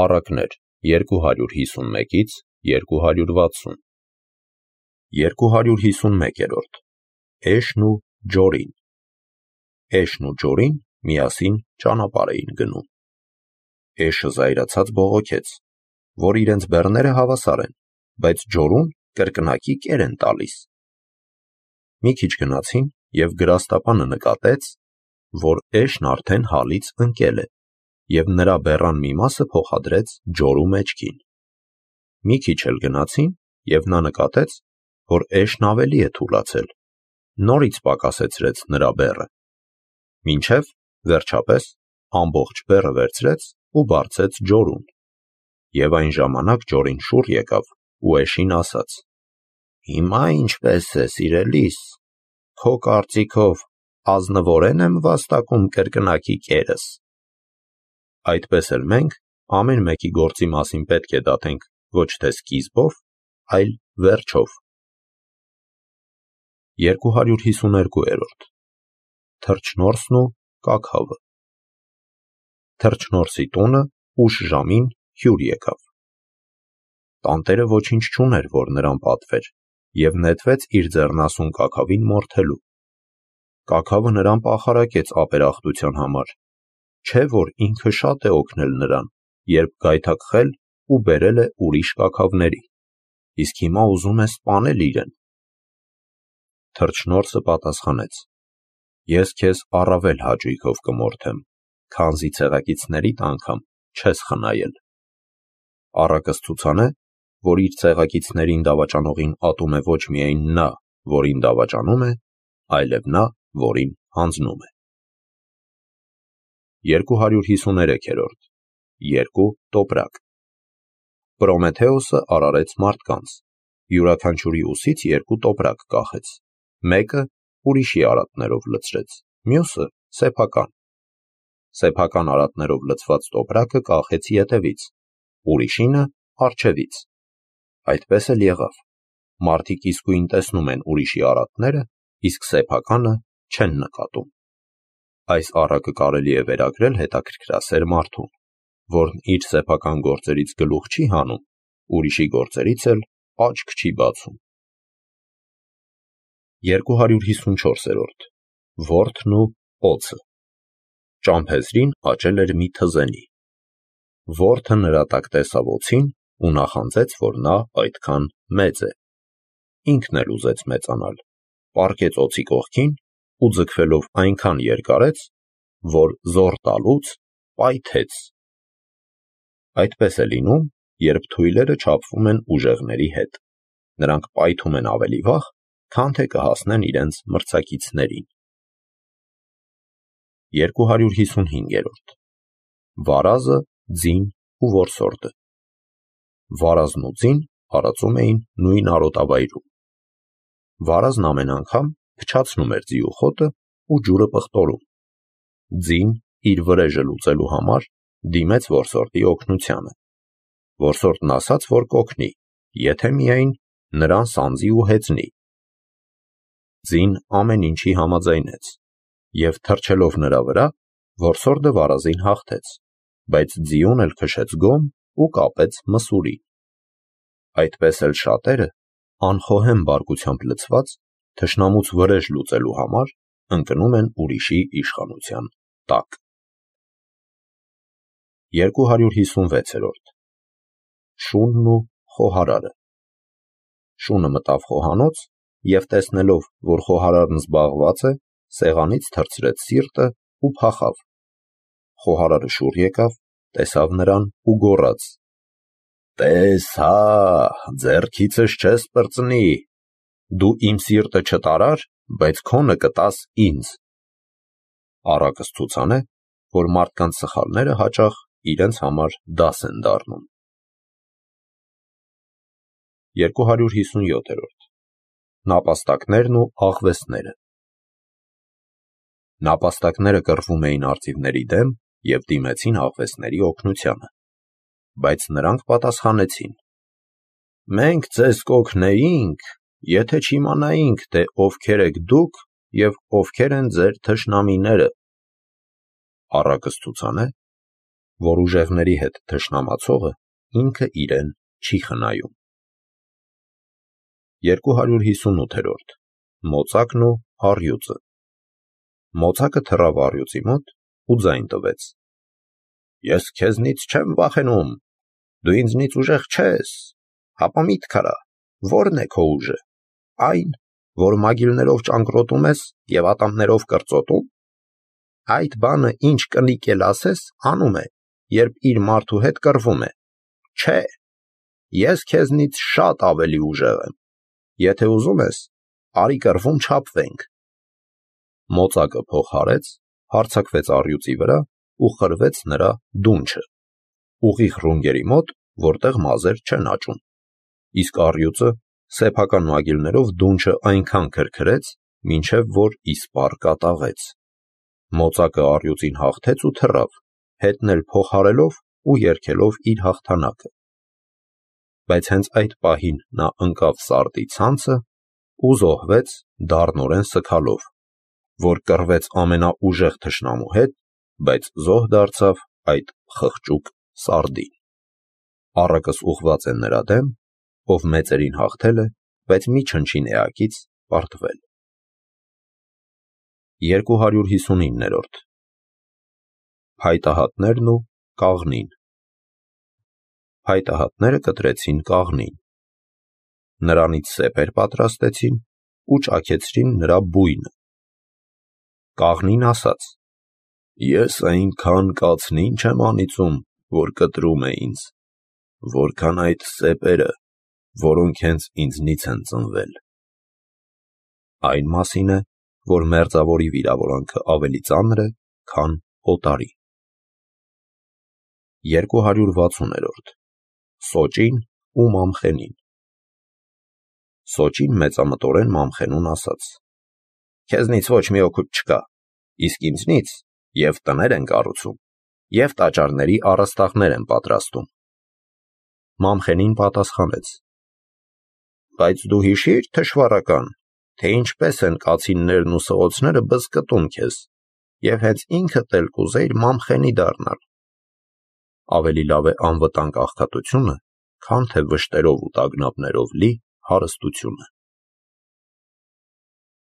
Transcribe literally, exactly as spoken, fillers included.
Առակներ երկու հարյուր հիսունմեկից երկու հարյուր վաթսուն երկու հարյուր հիսունմեկերորդ Էշն ու Ջորին Էշն ու Ջորին միասին ճանապարհ էին գնում։ Էշը զայրացած բողոքեց, որ իրենց բեռները հավասար են, բայց Ջորուն կրկնակի կեր են տալիս։ Մի քիչ գնացին, և գրաստապանը նկատեց, որ Էշն արդեն հալից ընկել է, և նրա բեռան մի մասը փոխադրեց Ջորու մեջքին։ Մի քիչ էլ գնացին, և նա նկատեց, որ Էշն ավելի է թուլացել, նորից պակասեցրեց նրա բեռը, մինչև վերջապես ամբողջ բեռը վերցրեց ու բարձեց Ջորուն։ Եվ այն ժամանակ Ջորին շուռ եկավ ու Էշին ասաց. «Հիմա ինչպե՞ս է, սիրելիս, քո կարծիքով ազնվորե՞ն եմ վաստակում կրկնակի կերս»։ Այդպես էլ մենք ամեն մեկի գործի մասին պետք է դատենք ոչ թե սկիզբով, այլ վերջով։ երկու հարյուր հիսուներկուերորդ Թռչնորսն ու կաքավը Թռչնորսի տունը ուշ ժամին հյուր եկավ։ Տանտերը ոչինչ չուներ, որ նրան պատվեր, և նետվեց իր ձեռնասուն կաքավին մորթելու։ Կաքավը նրան պախարակեց ապերախտության համար, չէ՞ որ ինքը շատ է օգնել նրան, երբ գայթակղել ու բերել է ուրիշ կաքավների, իսկ հիմա ուզում է սպանել իրեն։ Թռչնորսը պատասխանեց. «Ես քեզ առավել հաճույքով կմորթեմ, քանզի ցեղակիցներիդ անգամ չես խնայել»։ Առակը ցուցանե, որ իր ցեղակիցներին դավաճանողին ատում է ոչ միայն նա, որին դավաճանում է, այլև նա, որին հանձնում է։ երկու հարյուր հիսուներեքերորդ Երկու տոպրակ Պրոմեթեոսը արարեց մարդկանց, յուրաքանչյուրի ուսից երկու տոպրակ կախեց, մեկը ուրիշի արատներով լցրեց, մյուսը սեփական։ Սեփական արատներով լցված տոպրակը կախեց ետևից, ուրիշինը առջևից։ Այդպես էլ եղավ. մարդիկ իսկույն տեսնում են ուրիշի արատները, իսկ սեփականը չեն նկատում։ Այս առակը կարելի է վերագրել հետաքրքրասեր մարդուն, որն իր սեփական գործերից գլուխ չի հանում, ուրիշի գործերից էլ աչք չի բացում։ երկու հարյուր հիսունչորսերորդ Որդն ու օձը Ճամփեզրին աճել էր մի թզենի։ Որդը նրա տակ տեսավ օձին ու նախանձեց, որ նա այդքան մեծ է։ Ինքն էլ ուզեց մեծանալ, պառկեց օձի կողքին ու ձգվելով այնքան երկարեց, որ զոռ տալուց պայթեց։ Այդպես է լինում, երբ թույլերը չափվում են ուժեղների հետ, նրանք պայթում են ավելի վաղ, քան թե կհասնեն իրենց մրցակիցներին։ երկու հարյուր հիսունհինգերորդ Վարազը, ձին ու որսորդը Վարազն ու ձին արածում էին նույն արոտավայրում։ Վարազն ամեն անգամ փչացնում էր ձիու խոտը ու ջուրը պղտորում։ Ձին իր վրեժը լուծելու համար դիմեց որսորդի օգնությանը։ Որսորդն ասաց, որ կօգնի, եթե միայն նրան սանձի ու հեծնի։ Ձին ամեն ինչի համաձայնեց, և թռչելով նրա վրա, որսորդը վարազին հաղթեց, բայց ձիուն էլ քշեց գոմ ու կապեց մսուրի։ Այդպես էլ շատերը, անխոհեմ բարկությամբ լցված, թշնամուց վրեժ լուծելու համար ընկնում են ուրիշի իշխանության տակ։ երկու հարյուր հիսունվեցերորդ Շունն ու խոհարարը Շունը մտավ խոհանոց և տեսնելով, որ խոհարարն զբաղված է, սեղանից թռցրեց սիրտը ու փախավ։ Խոհարարը շուռ եկավ, տեսավ նրան ու գոռաց. «Տես հա, ձեռքիցս չես պրծնի, դու իմ սիրտը չտարար, բայց քոնը կտաս ինձ»։ Առակս ցուցանե, որ մարդկանց սխալները հաճախ իրենց համար դաս են դառնում։ երկու հարյուր հիսունյոթերորդ Նապաստակներն ու աղվեսները Նապաստակները կռվում էին արծիվների դեմ և դիմեցին աղվեսների օգնությանը։ Բայց նրանք պատասխանեցին. «Մենք ձեզ կօգնեինք, եթե չիմանայինք, թե ովքեր եք դուք և ովքեր են ձեր թշնամիները»։ Առակս ցուցանե, որ ուժեղների հետ թշնամացողը ինքը իրեն չի խնայում։ երկու հարյուր հիսունութերորդ Մոծակն ու առյուծը։ Մոծակը թռավ առյուծի մոտ ու ձայն տվեց. Ես քեզնից չեմ վախենում, դու ինձնից ուժեղ չես, հապա միտք արա, ո՞րն է քո ուժը, այն, որ մագիլներով ճանկռոտում ես և ատամներով կրծոտում։ Այդ բանը ինչ կնիկ էլ ասես, անում է, երբ իր մարդու հետ կռվում է։ Չէ, ես քեզնից շատ ավելի ուժեղ եմ, եթե ուզում ես, արի կռվում չափվենք։ Մոծակը փող հարեց, հարձակվեց առյուծի վրա ու խրվեց նրա դունչը, ուղիղ ռունգերի մոտ, որտեղ մազեր չեն աճում, իսկ առյուծը սեփական մագիլներով դունչը այնքան քրքրեց, մինչև որ իսպառ կատաղեց։ Մոծակը առյուծին հաղթեց ու թռավ, հետն էլ փող հարելով ու երգելով իր հաղթանակը։ Բայց հենց այդ պահին նա ընկավ սարդի ցանցը ու զոհվեց դառնորեն սգալով, որ կռվեց ամենաուժեղ թշնամու հետ, բայց զոհ դարձավ այդ խղճուկ սարդին։ Առակս ուղղված է նրա դեմ, ով մեծերին հաղթել է, բայց մի չնչին էակից պարտվել։ երկու հարյուր հիսունիններորդ Փայտահատներն ու կաղնին։ Փայտահատները կտրեցին կաղնին, նրանից սեպեր պատրաստեցին ու ճաքեցրին նրա բույնը։ Կաղնին ասաց. Ես այնքան կացնին չեմ անիծում, որ կտրում է ինձ, որքան այդ սեպերը, որոնք հենց ինձնից են ծնվել։ Այն մասին է, որ մերձավորի վիրավորանքը ավելի ծանր է, քան օտարի։ երկու հարյուր վաթսուներորդ Սոճին ու Մամխենին։ Սոճին մեծամտորեն Մամխենուն ասաց. Քեզնից ոչ մի օգուտ չկա, իսկ ինձնից և տներ են կառուցում, և տաճարների առաստաղներ են պատրաստում։ Մամխենին պատասխանեց. Բայց դու հիշի՞ր, թշվառական, թե ինչպես են կացիններն ու սղոցները բզկտում քեզ, և հենց ինքդ էլ կուզեիր Մամխենի դառնալ։ Ավելի լավ է անվտանգ աղքատությունը, քան թե վշտերով ու տագնապներով լի հարստությունը։